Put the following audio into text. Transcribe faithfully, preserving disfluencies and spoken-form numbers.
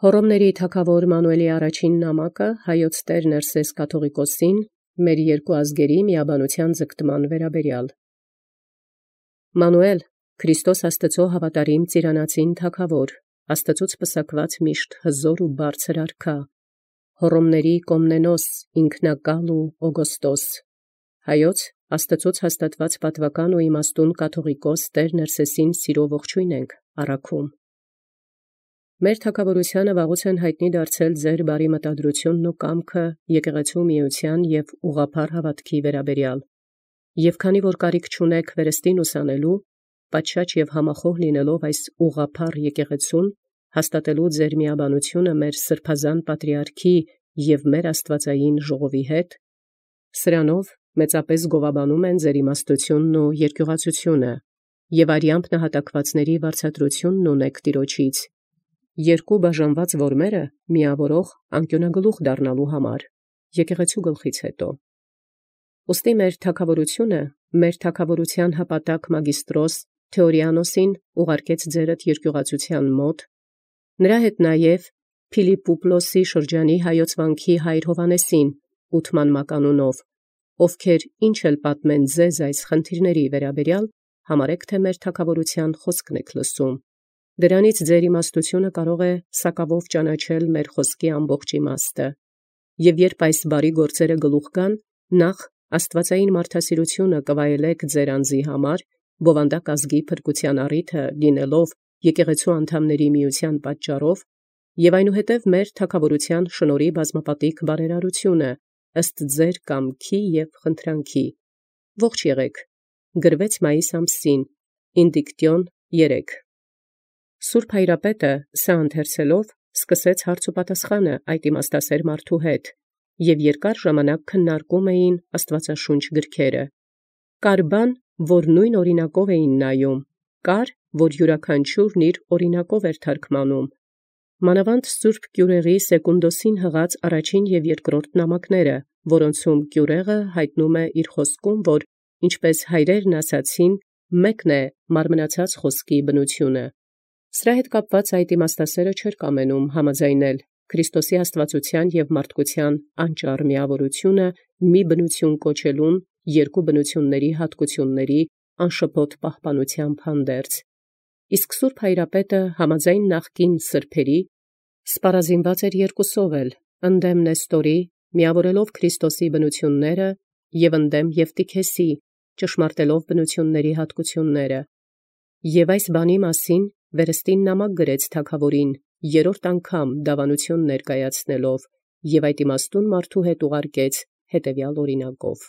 Հոռոմների թագաւոր Մանուէլի առաջին նամակը հայոց տեր Ներսես կաթողիկոսին մեր երկու ազգերի միաբանութեան ձգտման վերաբերյալ։ Մանուէլ, Քրիստոս Աստուծոյ հաւատարիմ ծիրանացին թագաւոր, Աստուծոց պսակված միշտ հզոր ու բարձր արքա, Հոռոմների Կոմնենոս ինքնակալ ու Օգոստոս, հայոց Աստուծոց հաստատված պատուական ու իմաստուն կաթողիկոս տեր Ներսեսին սիրով ողջույն ենք առաքում։ Մեր թագաւորութեանը վաղուց են յայտնի դարձել ձեր բարի մտադրութիւնն ու կամքը եկեղեցու միութեան եւ ուղղափառ հաւատքի վերաբերյալ, եւ քանի որ կարիք չունեք վերստին ուսանելու, պատշաճ եւ համախոհ լինելով այս ուղղափառ եկեղեցուն, հաստատելու ձեր միաբանութիւնը մեր սրբազան պատրիարքի եւ մեր աստուածային ժողովի հետ, սրանով մեծապես գովաբանում են ձեր իմաստութիւնն ու երկյուղածութիւնը, եւ արյամբ նահատակվածների վարձատրութիւնն ունեք Տեառնից, երկու բաժանված որմերը միավորող անկիւնագլուխ դառնալու համար, եկեղեցու գլխից հետո։ Ուստի մեր թագաւորութիւնը, մեր թագաւորութեան հապատակ մագիստրոս Թեորիանոսին ուղարկեց ձերդ երկյուղածութեան մոտ, նրա հետ նաև Փիլիպպուպլոսի շրջանի հայոց վանքի հայր Հովհաննեսին ութման մականունով, ովքեր ինչ էլ պատմեն ձեզ այս խնդիրների վերաբերյալ, համարեք թե մեր թագաւորութեան խոսքն եք լսում։ Դրանից ձեր իմաստութիւնը կարող է սակավով ճանաչել մեր խոսքի ամբողջ իմաստը, եւ երբ այս բարի գործերը գլուխ գան, նախ աստուածային մարդասիրութիւնը կվայելեք ձեր անձի համար, բովանդակ ազգի փրկութեան առիթը լինելով եկեղեցու անդամների միութեան պատճառով, եւ այնուհետև մեր թագաւորութեան շնորհի բազմապատիկ բարերարութիւնը ըստ ձեր կամքի եւ խնդրանքի։ Ողջ եղեք, գրվեց մայիս ամսին, Ինդիկտիոն երեք։ Սուրբ Հայրապետը սա ընթերցելով սկսեց հարց ու պատասխանը այդ իմաստասեր մարդու հետ, եւ երկար ժամանակ քննարկում էին Աստուածաշունչ գրքերը։ Կար բան, որ նույն օրինակով էին նայում, կար, որ յուրաքանչյուրն իր օրինակով էր թարգմանում։ Մանավանդ Սուրբ Կիւրեղի Սեկունդոսին հղած առաջին եւ երկրորդ նամակները, որոնցում Կիւրեղը հայտնում է իր խոսքում, որ ինչպես հայրերն ասացին, մեկն է մարմնացած խոսքի բնությունը։ Սրա հետ կապված այդ իմաստասերը չէր կամենում համաձայնել Քրիստոսի աստվածութեան եւ մարդկութեան անճառ միավորութիւնը մի բնություն կոչելուն երկու բնությունների հատկությունների անշփոթ պահպանութեամբ հանդերձ։ Իսկ Սուրբ Հայրապետը համաձայն նախկին սրբերի սպառազինված էր երկուսով էլ, ընդդեմ Նեստորի, միավորելով Քրիստոսի բնությունները, եւ ընդդեմ Եվտիքեսի, ճշմարտելով բնությունների հատկությունները։ Եւ այս բանի մասին վերստին նամակ գրեց թագաւորին, երրորդ անգամ դավանութիւն ներկայացնելով, եւ այդ իմաստուն մարդու հետ ուղարկեց հետևյալ օրինակով։